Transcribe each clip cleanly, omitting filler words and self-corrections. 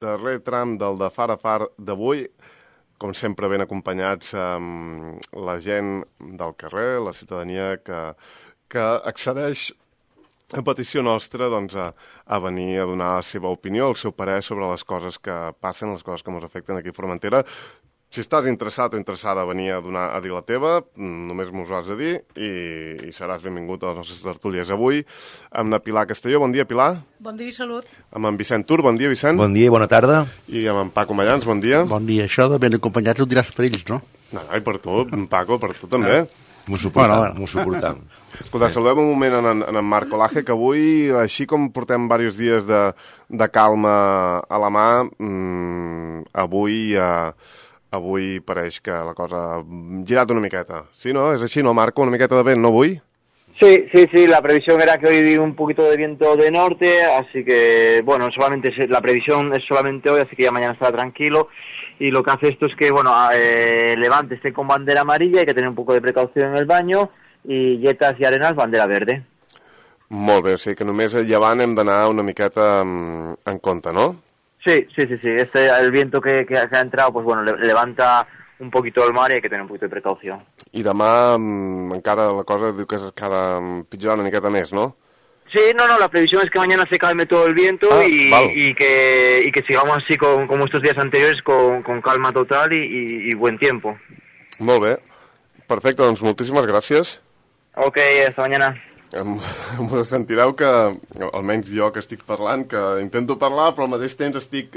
darrer tram del de Far a Far d'avui, com sempre ben acompanyats amb la gent del carrer, la ciutadania que accedeix a petició nostra doncs, a venir a donar la seva opinió, el seu parer sobre les coses que passen, les coses que ens afecten aquí a Formentera. Si estàs interessat o interessada a venir a dir la teva, només m'ho has de dir i seràs benvingut a les nostres tertúlies avui amb la Pilar Castelló. Bon dia, Pilar. Bon dia i salut. Amb en Vicent Tur. Bon dia, Vicent. Bon dia i bona tarda. I amb en Paco Mallans. Bon dia. Bon dia. Això de ben acompanyats ho diràs per ells, no? No, i per tu, Paco, per tu també. M'ho suportam. Escolta, saludem un moment en en Marc Olaje, que avui, així com portem diversos dies de calma a la mà, avui pareix que la cosa ha girat una miqueta. Sí, no? És així, no, Marco? Una miqueta de vent, no, avui? Sí, la previsión era que hoy un poquito de viento de norte, así que, bueno, la previsión es solamente hoy, así que ya mañana estará tranquilo. Y lo que hace esto es que, bueno, Levante esté con bandera amarilla, hay que tener un poco de precaución en el baño, y Yetas y Arenas, bandera verde. Molt bé, o sigui que només a llevant hem d'anar una miqueta en compte, no? Sí. El viento que ha entrado, pues bueno, levanta un poquito el mar y hay que tener un poquito de precaución. I demà encara la cosa diu que es cada pitjor una miqueta més, no? Sí, no, la previsión es que mañana se calme todo el viento y que sigamos así como estos días anteriores con calma total y buen tiempo. Molt bé. Perfecte, doncs moltíssimes gràcies. Ok, hasta mañana. Em sentireu que, almenys jo que estic parlant, que intento parlar, però al mateix temps estic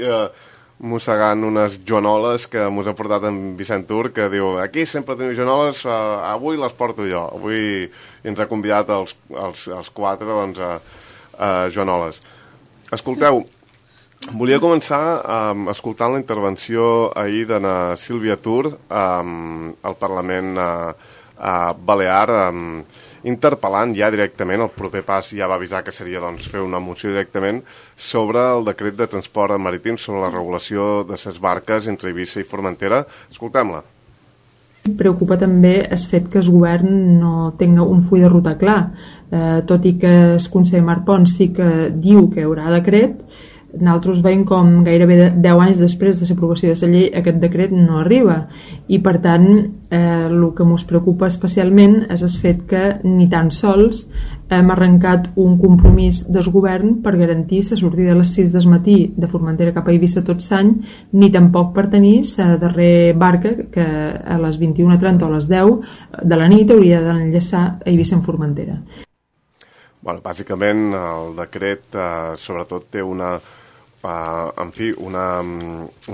mossegant unes joanoles que mos ha portat en Vicent Tur, que diu, aquí sempre teniu joanoles, avui les porto jo. Avui ens ha convidat els quatre doncs, a joanoles. Escolteu, volia començar escoltant la intervenció ahir de na Sílvia Tur al Parlament Balear, interpel·lant ja directament, el proper pas ja va avisar que seria doncs, fer una moció directament sobre el decret de transport marítim, sobre la regulació de les barques entre Eivissa i Formentera. Escoltem-la. Preocupa també el fet que el govern no tingui un full de ruta clar, tot i que el conseller Marc Pons sí que diu que hi haurà decret. Nosaltres veiem com gairebé 10 anys després de l'aprovació de la llei aquest decret no arriba i per tant el que ens preocupa especialment és el fet que ni tan sols hem arrencat un compromís del govern per garantir la sortida a les 6 del matí de Formentera cap a Eivissa tot l'any, ni tampoc per tenir la darrera barca que a les 21:30 o a les 10 de la nit hauria d'enllaçar a Eivissa en Formentera. Bueno, bàsicament el decret sobretot té una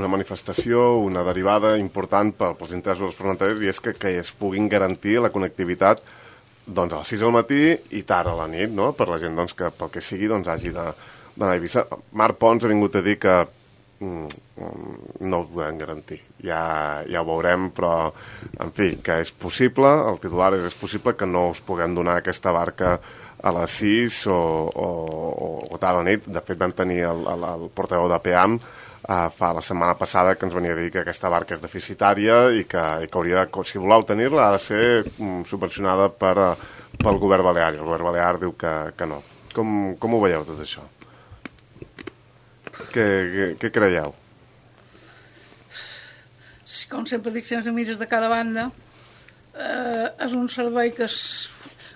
manifestació, una derivada important pels interessos dels formenterers i és que es puguin garantir la connectivitat doncs, a les 6 del matí i tard a la nit, no? Per la gent doncs, que pel que sigui doncs, hagi d'anar a Eivissa. Marc Pons ha vingut a dir que no ho podem garantir. Ja ho veurem, però en fi, que és possible, el titular és possible que no us puguem donar aquesta barca a les 6 o tard a la nit. De fet, vam tenir el portaveu de PEAM la setmana passada que ens venia a dir que aquesta barca és deficitària i que hauria de, si voleu tenir-la, ha de ser subvencionada pel govern balear. El govern balear diu que no. Com ho veieu, tot això? Què creieu? Com sempre dic, sense mires de cada banda, és un servei que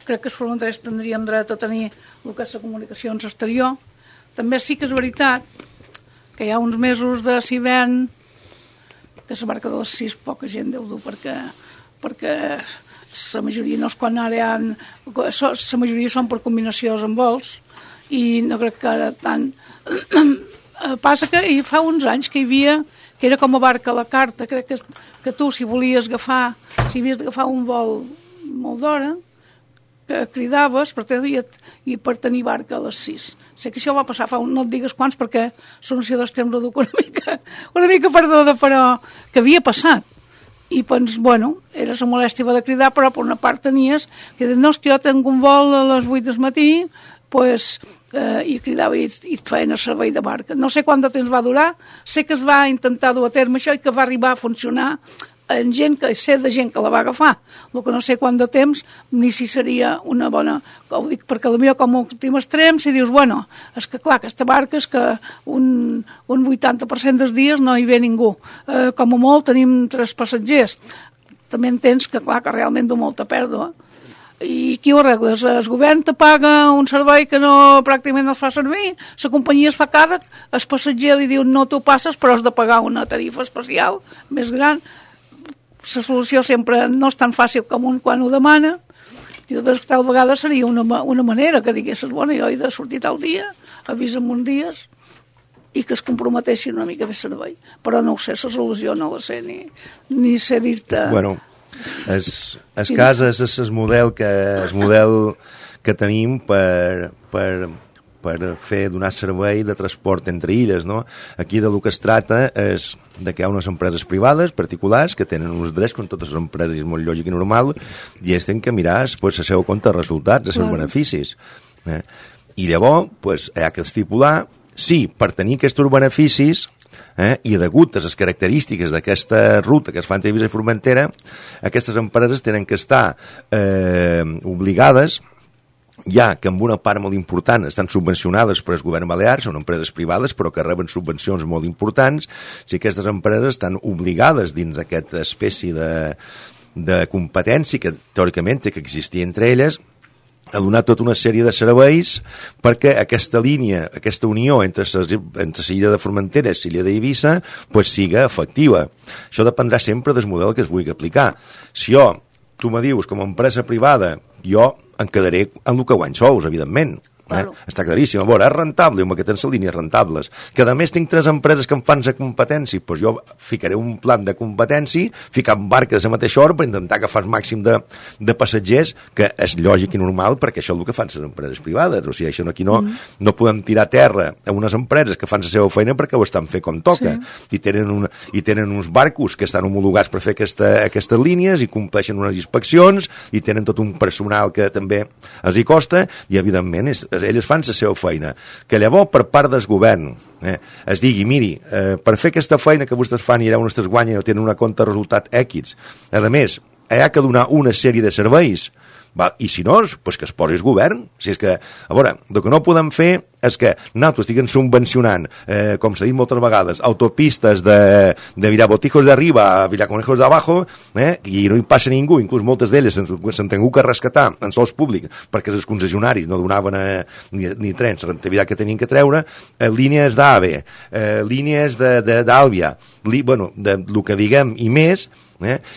crec que els formenterers tindríem dret a tenir el que és la comunicació exterior. També sí que és veritat que hi ha uns mesos de l'hivern que la barca de les 6 poca gent deu dur perquè la majoria no és quan ara la majoria són per combinacions amb vols i no crec que ara tant passa que fa uns anys que hi havia que era com a barca a la carta. Crec que tu si havies d'agafar un vol molt d'hora que cridaves per tenir barca a les 6. Sé que això va passar no et digues quants perquè la noció dels temps ho duc una mica perduda, però que havia passat. I doncs, bueno, era la molèstia de cridar, però per una part tenies que dius, no, és que jo tinc un vol a les 8 del matí, pues, i cridava i et feien el servei de barca. No sé quant de temps va durar, sé que es va intentar dur a terme això i que va arribar a funcionar en gent que sé de gent que la va agafar, el que no sé quant de temps ni si seria una bona, ho dic perquè potser com a últim extrem, si dius, bueno, és que clar, aquesta barca és que un 80% dels dies no hi ve ningú, com a molt tenim 3 passatgers, també entens que clar, que realment du molta pèrdua. I qui ho arregles? El govern te paga un servei que pràcticament no es fa servir, la companyia es fa càrrec, el passatger li diu no t'ho passes però has de pagar una tarifa especial més gran. La solució sempre no és tan fàcil com un quan ho demana. Tal vegada seria una manera que diguessis, bueno, jo he de sortir tal dia, avisa'm uns dies, i que es comprometessin una mica més servei. Però no ho sé, la solució no la sé, ni sé dir-te... Bueno, es casa és el model que tenim per donar servei de transport entre illes, no? Aquí del que es tracta és de que hi ha unes empreses privades, particulars, que tenen uns drets com totes les empreses, és molt lògic i normal, i ells tenen que mirar pues, el seu compte de resultats, els seus beneficis. I llavors pues, hi ha que estipular si per tenir aquests beneficis i degut a les característiques d'aquesta ruta que es fa entre Eivissa i Formentera, aquestes empreses tenen que estar obligades, ja que amb una part molt important estan subvencionades per el govern balear, són empreses privades però que reben subvencions molt importants, si aquestes empreses estan obligades dins aquesta espècie de competència que teòricament té que existir entre elles, a donar tota una sèrie de serveis perquè aquesta línia, aquesta unió entre l'illa de Formentera i l'illa d'Eivissa pues, siga efectiva. Això dependrà sempre del model que es vulgui aplicar. Si tu me dius com a empresa privada, jo em quedaré en el que guany sous, evidentment. Claro. Està claríssim. A veure, és rentable, amb aquestes línies rentables. Que a més tinc 3 empreses que em fan la competència, doncs jo ficaré un plan de competència, ficar barques a mateixa hora per intentar agafar el màxim de passatgers, que és lògic i normal perquè això és el que fan les empreses privades. O sigui, això aquí no podem tirar terra a unes empreses que fan la seva feina perquè ho estan fent com toca. Sí. I tenen uns barcos que estan homologats per fer aquestes línies i compleixen unes inspeccions i tenen tot un personal que també els hi costa i, evidentment, elles fan la seva feina. Que llavors, per part del govern, es digui, miri, per fer aquesta feina que vostès fan i allà on es guanyen o tenen una compte de resultat X, a més, hi ha que donar una sèrie de serveis, i si no, pues que es posi el govern. Si és que, a veure, el que no podem fer és que nosaltres estiguem subvencionant, com s'ha dit moltes vegades, autopistes de Virabotijos d'arriba a Villaconejos d'abajo, i no hi passa ningú, inclús moltes d'elles s'han tingut que rescatar en sols públics perquè els concessionaris no donaven ni trens, la rentabilitat que tenien que treure, línies d'AVE, línies d'Àlvia, bueno, del que diguem i més,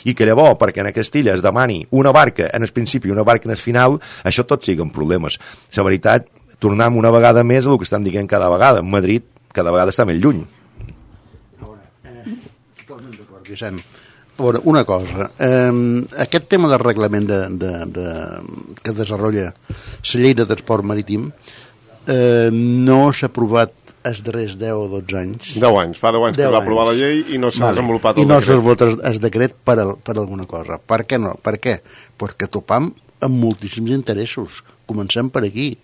i que llavors, perquè en aquesta illa es demani una barca en el principi i una barca en el final, això tot siguen problemes. La veritat, tornem una vegada més a el que estan dient cada vegada. Madrid cada vegada està més lluny. Totalment d'acord, Vicent. A veure, una cosa, aquest tema del reglament que desenvolupa la llei de transport marítim no s'ha aprovat els darrers 10 o 12 anys. 10 anys, fa 10 anys que va aprovar la llei i no s'ha desenvolupat el decret. I no s'ha desenvolupat el decret per alguna cosa. Per què no? Per què? Perquè topam amb moltíssims interessos. Comencem per aquí.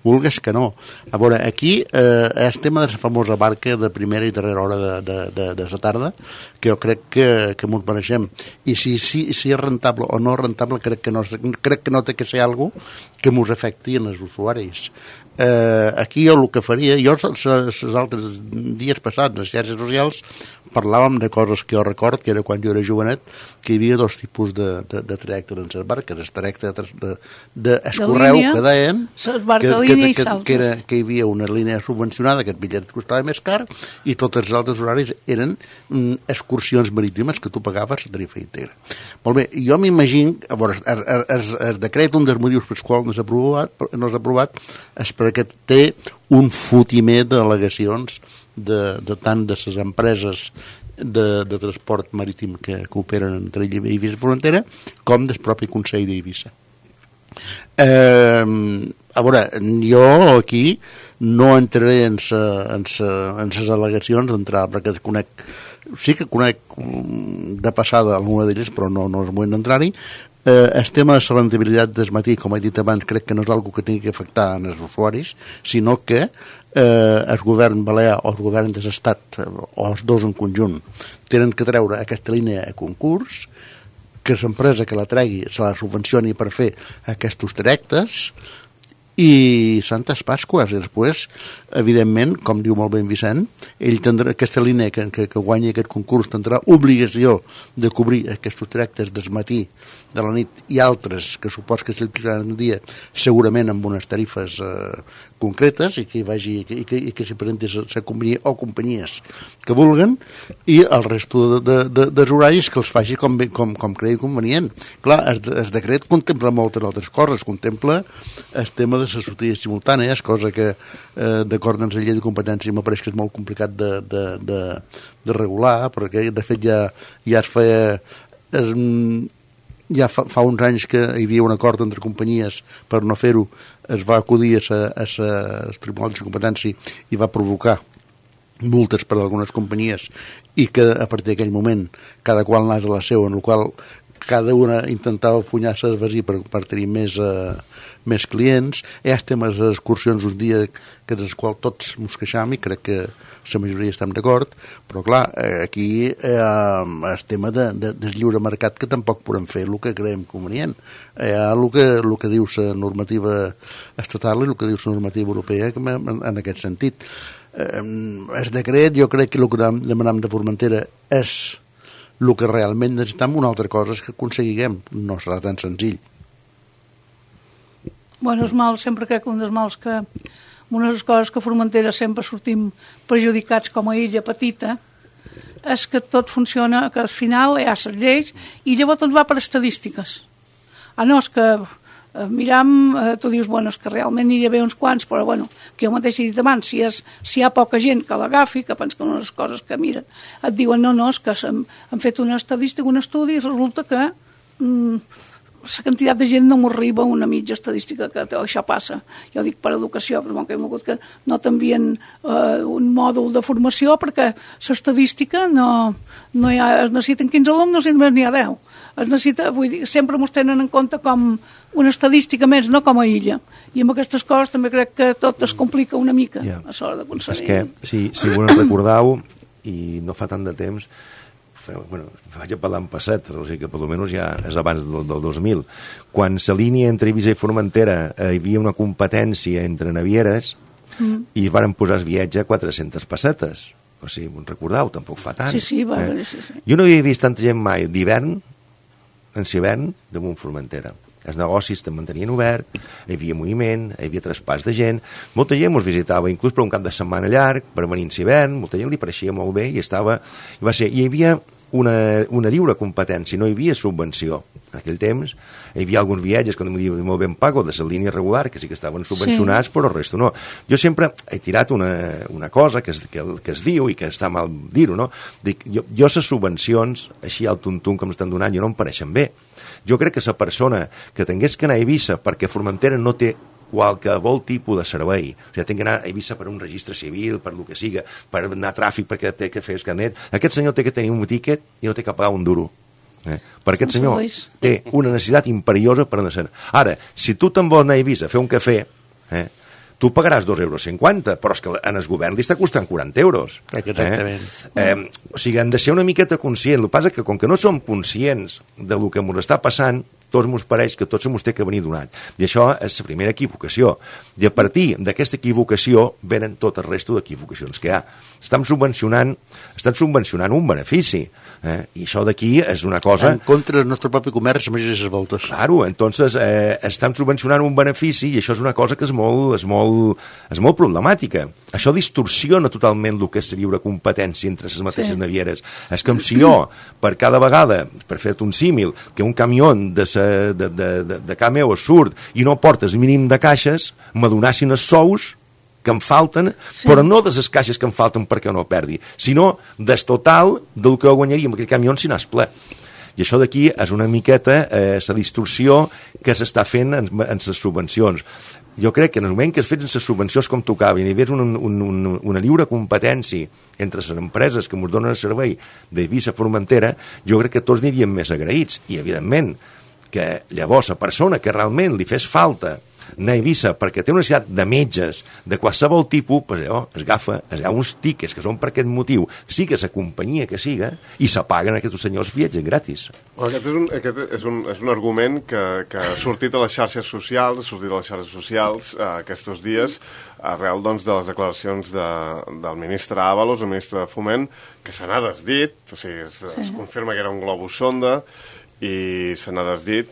Vulgues que no. A veure, aquí el tema de la famosa barca de primera i darrera hora de la tarda, que jo crec que m'ho mereixem. I si és rentable o no rentable, crec que no té que ser alguna cosa que mos afecti en els usuaris. Aquí jo el que faria, els altres dies passats, les xarxes socials, parlàvem de coses que jo record, que era quan jo era jovenet, que hi havia 2 tipus de trajectes en les barques. El trajecte d'escorreu, que deien, que hi havia una línia subvencionada, que el bitllet costava més car, i tots els altres horaris eren excursions marítimes que tu pagaves a tarifa íntegra. Molt bé, jo m'imagino, a veure, el decret, un dels motius pels quals no s'ha aprovat, és perquè té un fotimer d'al·legacions de tant de les empreses de transport marítim que operen entre Eivissa i Formentera com del propi Consell d'Eivissa. A veure, jo aquí no entraré en les al·legacions d'entrar, perquè sí que conec de passada alguna d'elles, però no és moment d'entrar-hi. El tema de la rendibilitat del matí, com he dit abans, crec que no és una que tingui que afectar als usuaris, sinó que el govern balear o el govern de l'Estat, o els dos en conjunt, tenen que treure aquesta línia a concurs, que l'empresa que la tregui se la subvencioni per fer aquests trajectes, i Santes Pasques, i després, evidentment, com diu molt bé en Vicent, ell tindrà aquesta línia que guanyi aquest concurs, tindrà obligació de cobrir aquests trajectes del matí, de la nit, i altres que supos que s'alquilaran un dia, segurament amb unes tarifes concretes, i que hi vagi, i que s'hi presenti la companyia o companyies que vulguen, i el resto dels horaris que els faci com cregui convenient. Clar, el decret contempla moltes altres coses, contempla el tema de les sortides simultànies, cosa que d'acord amb la llei de competència m'apareix que és molt complicat de regular, perquè de fet ja es feia ja fa uns anys que hi havia un acord entre companyies per no fer-ho, es va acudir al Tribunal de Competència i va provocar multes per a algunes companyies, i que a partir d'aquell moment cada qual anés a la seva, en la qual cada una intentava punyar-se el vesí per tenir més clients. Hi ha temes d'excursions un dia que dels quals tots ens queixam, i crec que la majoria estem d'acord, però clar, aquí el tema del lliure mercat, que tampoc podem fer el que creiem convenient. Hi ha el que diu la normativa estatal i el que diu la normativa europea en aquest sentit. El decret, jo crec que el que demanem de Formentera és el que realment necessitem. Una altra cosa és que aconseguiguem, no serà tan senzill. Bueno, els mals, sempre crec que un dels mals que una de les coses que a Formentera sempre sortim perjudicats com a illa petita és que tot funciona, que al final hi ha les lleis i llavors tot va per estadístiques. No, és que miram, tu dius, bueno, és que realment hi ha uns quants, però bueno, que jo mateix he dit abans, si hi ha poca gent que l'agafi, que pensa que una de les coses que miren, et diuen, no, és que han fet una estadística, un estudi, i resulta que la quantitat de gent no m'arriba a una mitja estadística que això passa. Jo dic per educació, però que hem hagut que no t'envien un mòdul de formació perquè l'estadística no hi ha, es necessiten 15 alumnes i només n'hi ha 10. Es necessita, vull dir, sempre m'ho tenen en compte com una estadística més, no com a illa. I amb aquestes coses també crec que tot es complica una mica a l'hora d'aconseguir. És que, si vos recordeu, i no fa tant de temps, vaig a parlar en passat, o sigui que per almenys ja és abans del 2000, quan la línia entre Eivissa i Formentera hi havia una competència entre navieres i es varen posar el viatge a 400 pessetes. O sigui, us recordeu? Tampoc fa tant. Sí. Jo no havia vist tanta gent mai d'hivern, en l'hivern, damunt Formentera. Els negocis es mantenien obert, hi havia moviment, hi havia traspàs de gent, molta gent ens visitava, inclús per un cap de setmana llarg, per venir en l'hivern, molta gent li pareixia molt bé i hi havia una lliure competència, no hi havia subvenció. En aquell temps hi havia alguns viatges, com diu molt ben pago, de la línia regular, que sí que estaven subvencionats, però el resto no. Jo sempre he tirat una cosa que es diu, i que està mal dir-ho, no? Dic, jo les subvencions, així al tuntum que m'estan donant, jo no em pareixen bé. Jo crec que la persona que tingués que anar a Eivissa perquè Formentera no té qualsevol tipus de servei, o sigui, té que anar a Eivissa per un registre civil, per el que siga, per anar a tràfic perquè té que fer el carnet, aquest senyor té que tenir un tiquet i no té que pagar un duro. Per aquest senyor té una necessitat imperiosa per anar. Ara, si tu te'n vols anar a Eivissa a fer un cafè, tu pagaràs 2,50 €, però és que en el govern li està costant 40 €. Exactament. O sigui, hem de ser una miqueta conscients. El que passa és que com que no som conscients del que ens està passant, tots ens pareix que tot se ens té que venir donat. I això és la primera equivocació. I a partir d'aquesta equivocació venen tot el resto d'equivocacions que hi ha. Estan subvencionant un benefici. I això d'aquí és una cosa... En contra del nostre propi comerç, amb aquestes voltes. Claro, entonces estan subvencionant un benefici i això és una cosa que és molt problemàtica. Això distorsiona totalment el que és la lliure competència entre les mateixes navieres. És com si jo, per cada vegada, per fer-te un símil, que un camió de ca meu surt i no porta el mínim de caixes, m'adonassin els sous que em falten, però no de les caixes que em falten perquè no perdi, sinó del total del que guanyaria amb aquell camió si n'és ple. I això d'aquí és una miqueta la distorsió que s'està fent en les subvencions. Jo crec que en el moment que es fes les subvencions com tocava i hi hagués una lliure competència entre les empreses que ens donen el servei d'Eivissa a Formentera, jo crec que tots aniríem més agraïts. I, evidentment, que llavors la persona que realment li fes falta anar a Eivissa perquè té una necessitat de metges de qualsevol tipus, pues, es agafa uns tickets que són per aquest motiu, siga la companyia que siga, i s'apaguen aquests senyors viatges gratis. Aquest és un argument que ha sortit a les xarxes socials, aquests dies, arrel doncs, de les declaracions del ministre Ábalos, el ministre de Foment, que se n'ha desdit, o sigui, es confirma que era un globus sonda, i se n'ha desdit.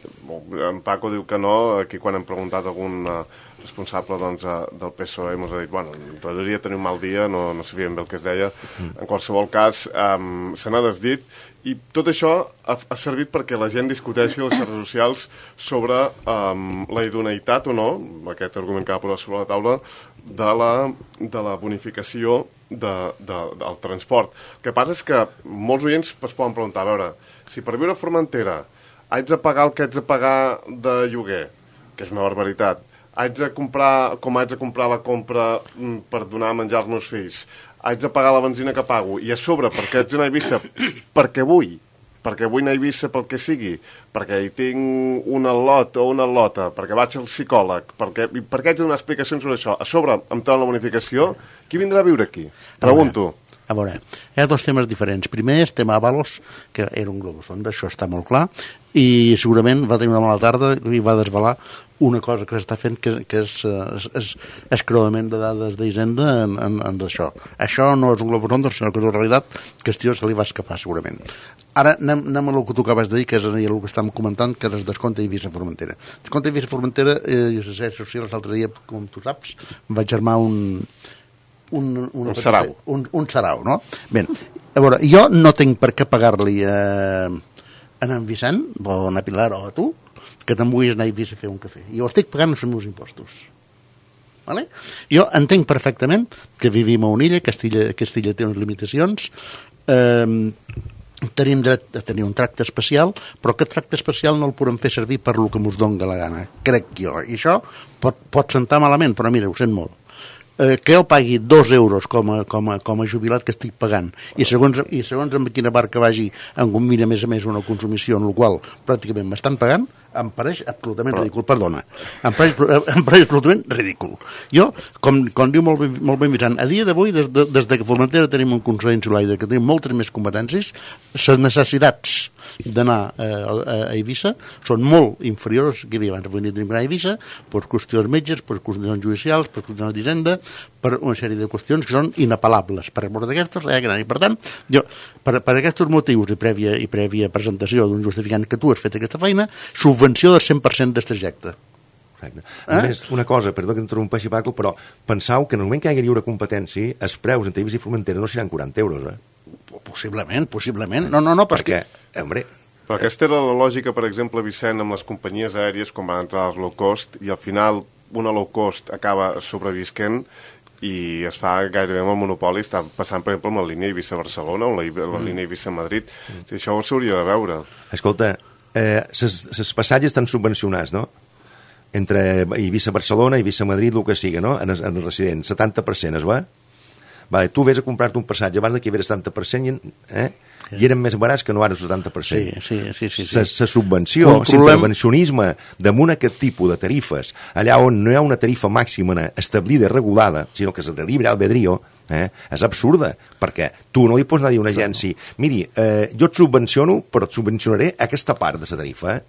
En Paco diu que no. Aquí quan hem preguntat a algun responsable doncs, del PSOE ens ha dit, bueno, podria tenir un mal dia, no sabíem bé el que es deia. En qualsevol cas, se n'ha desdit, i tot això ha servit perquè la gent discuteixi a les xarxes socials sobre la idoneïtat o no, aquest argument que va posar sobre la taula, de la bonificació del transport. El que passa és que molts oients es poden preguntar, a veure, si per viure a Formentera haig de pagar el que haig de pagar de lloguer, que és una barbaritat, haig de comprar la compra per donar a menjar als meus fills, haig de pagar la benzina que pago, i a sobre, perquè haig d'anar a Eivissa perquè vull anar a Eivissa pel que sigui, perquè hi tinc un al·lot o una al·lota, perquè vaig al psicòleg, perquè haig de donar explicacions sobre això, a sobre em treuen la bonificació, qui vindrà a viure aquí? Pregunto. A veure, hi ha dos temes diferents. Primer és tema Ábalos, que era un globus sonda, això està molt clar, i segurament va tenir una mala tarda i va desvelar una cosa que s'està fent que és escreuament de dades d'Hisenda en això. Això no és un globus sonda, sinó que és una realitat que se li va escapar segurament. Ara anem a el que tu acabes de dir, que és el que estàvem comentant, que és descompte Eivissa-Formentera. Descompte Eivissa-Formentera, jo sé si l'altre dia, com tu saps, em vaig armar un sarau, no? Bé, a veure, jo no tinc per què pagar-li a en Vicent, o a na Pilar, o a tu, que te'n vulguis anar a Eivissa a fer un cafè. Jo estic pagant els meus impostos. Vale? Jo entenc perfectament que vivim a una illa, que Castilla té unes limitacions, tenim dret a tenir un tracte especial, però aquest tracte especial no el podem fer servir per lo que mos doni la gana, crec jo. I això pot sentar malament, però mira, ho sent molt. Que jo pagui 2 euros com a jubilat que estic pagant i segons en quina barca vagi em combina més a més una consumició en la qual pràcticament m'estan pagant, em pareix absolutament ridícul, perdona, em pareix absolutament ridícul. Jo, com diu molt ben Vicent, a dia d'avui, des que Formentera tenim un Consell Insular i que tenim moltes més competències, les necessitats d'anar a Eivissa són molt inferiors que hi havia abans. Avui tenim d'anar a Eivissa per qüestions metges, per qüestions judicials, per qüestions d'Hisenda, per una sèrie de qüestions que són inapel·lables. Per mort d'aquestes, i per tant, jo, per aquests motius i prèvia presentació d'un justificant que tu has fet aquesta feina, subvenció del 100% del trajecte. A més, una cosa, perdó que interrompeixi Paco, però pensau que en el moment que hi hagi lliure competència, els preus entre Eivissa i Formentera no seran 40 euros, Possiblement. No, perquè, hombre... Però aquesta era la lògica, per exemple, Vicent, amb les companyies aèries, com van entrar les low cost, i al final una low cost acaba sobrevisquent i es fa gairebé amb el monopoli. Està passant, per exemple, amb la línia Eivissa-Barcelona o la línia Eivissa-Madrid. Això ho s'hauria de veure. Escolta, els passatges estan subvencionats, no? Entre Eivissa-Barcelona, Eivissa-Madrid, el que siga, no? En els residents, 70% es va? Vale, tu vés a comprar-te un passatge abans que hi hagués 70% i eren més barats que no ara el 70%. Sí. La subvenció, l'intervencionisme damunt aquest tipus de tarifes, allà on no hi ha una tarifa màxima establida i regulada, sinó que és de libre albedrío, és absurda, perquè tu no li pots anar a dir a una agència, miri, jo et subvenciono, però et subvencionaré aquesta part de la tarifa,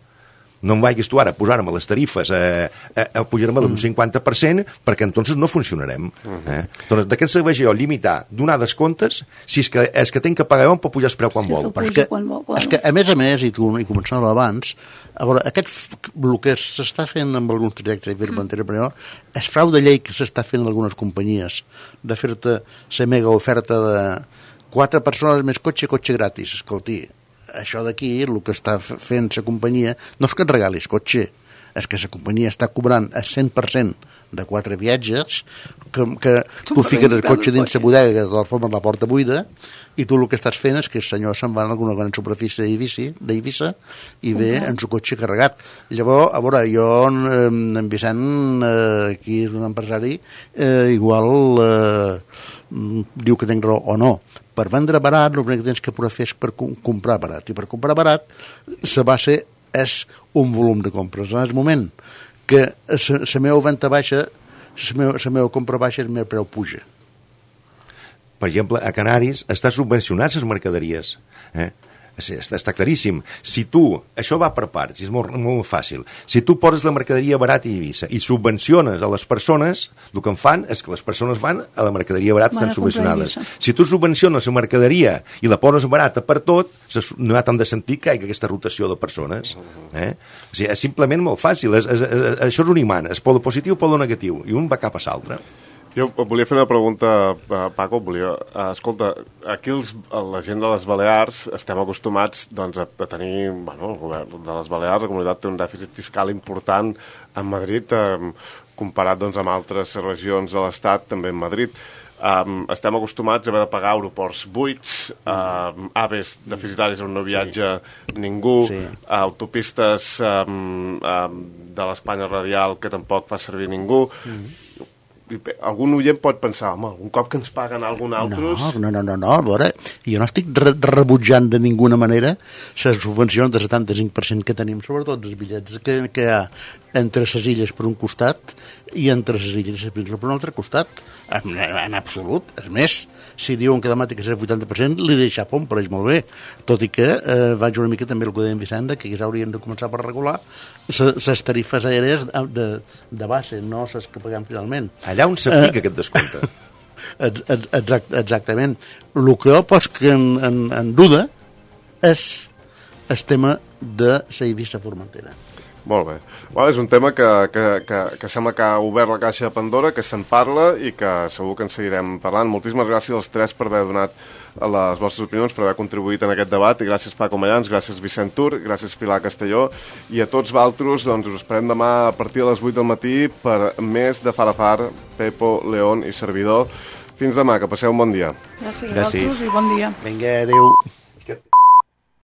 no em vagis tu ara a posar-me les tarifes a pujar-me d'un 50% perquè entonces no funcionarem. Doncs de què ens serveix jo limitar, donar descomptes si és que tenc que pagar jo em pot pujar el preu quan vol. És que a més, i tu hi començava abans, a veure, el que s'està fent amb alguns trajectes i Formentera, però és frau de llei que s'està fent en algunes companyies de fer-te la mega oferta de 4 persones més cotxe gratis. Escolti, això d'aquí, el que està fent la companyia, no és que et regalis cotxe, és que la companyia està cobrant el 100% de 4 viatges, que tu fiques el cotxe dins la bodega, que de totes formes la porta buida, i tu el que estàs fent és que el senyor se'n va a alguna gran superfície d'Eivissa i ve en el cotxe carregat. Llavors, a veure, jo, en Vicent, aquí és un empresari, igual diu que tinc raó o no. Per vendre barat, el que tens que poder fer és per comprar barat. I per comprar barat, la base és un volum de compres. En el moment que la meva venda baixa, la meva compra baixa, el meu preu puja. Per exemple, a Canaris està subvencionat les mercaderies. Està claríssim. Si tu, això va per parts, és molt fàcil, si tu poses la mercaderia barata a Eivissa i subvenciones a les persones, el que en fan és que les persones van a la mercaderia barata, estan subvencionades. Si tu subvenciones la mercaderia i la poses barata per tot, no hi ha tant de sentit que hi hagi aquesta rotació de persones. O sigui, és simplement molt fàcil. Això és un imant, és polo positiu o polo negatiu, i un va cap a l'altre. Jo volia fer una pregunta, Paco. Escolta, aquí la gent de les Balears estem acostumats doncs, a tenir, el govern de les Balears, la comunitat té un dèficit fiscal important en Madrid, comparat doncs, amb altres regions de l'Estat, també en Madrid. Estem acostumats a haver de pagar aeroports buits, aves deficitaris on no viatja ningú, autopistes de l'Espanya radial que tampoc fa servir ningú. Algun oient pot pensar, home, un cop que ens paguen algun altre... No, a veure, jo no estic rebutjant de ninguna manera les subvencions del 75% que tenim, sobretot els bitllets que hi ha entre les illes per un costat i entre les illes i les Pínsules per un altre costat, en absolut. És més, si diuen que demà té que ser el 80%, li deixa pom, pareix molt bé, tot i que vaig una mica també el que deia en Vicenda, que haurien de començar per regular les tarifes aèries de base, no les que paguem finalment. Allà on s'aplica aquest descompte. Exactament. El que jo poso en duda és el tema de la Eivissa-Formentera. Molt bé. És un tema que sembla que ha obert la caixa de Pandora, que se'n parla i que segur que en seguirem parlant. Moltíssimes gràcies als tres per haver donat les vostres opinions, per haver contribuït en aquest debat, i gràcies Paco Mayans, gràcies Vicent Tur, gràcies Pilar Castelló, i a tots vosaltres us esperem demà a partir de les 8 del matí per més de Far a Far, Pepo, León i servidor. Fins demà, que passeu un bon dia. Gràcies a vosaltres i bon dia. Vinga, adéu.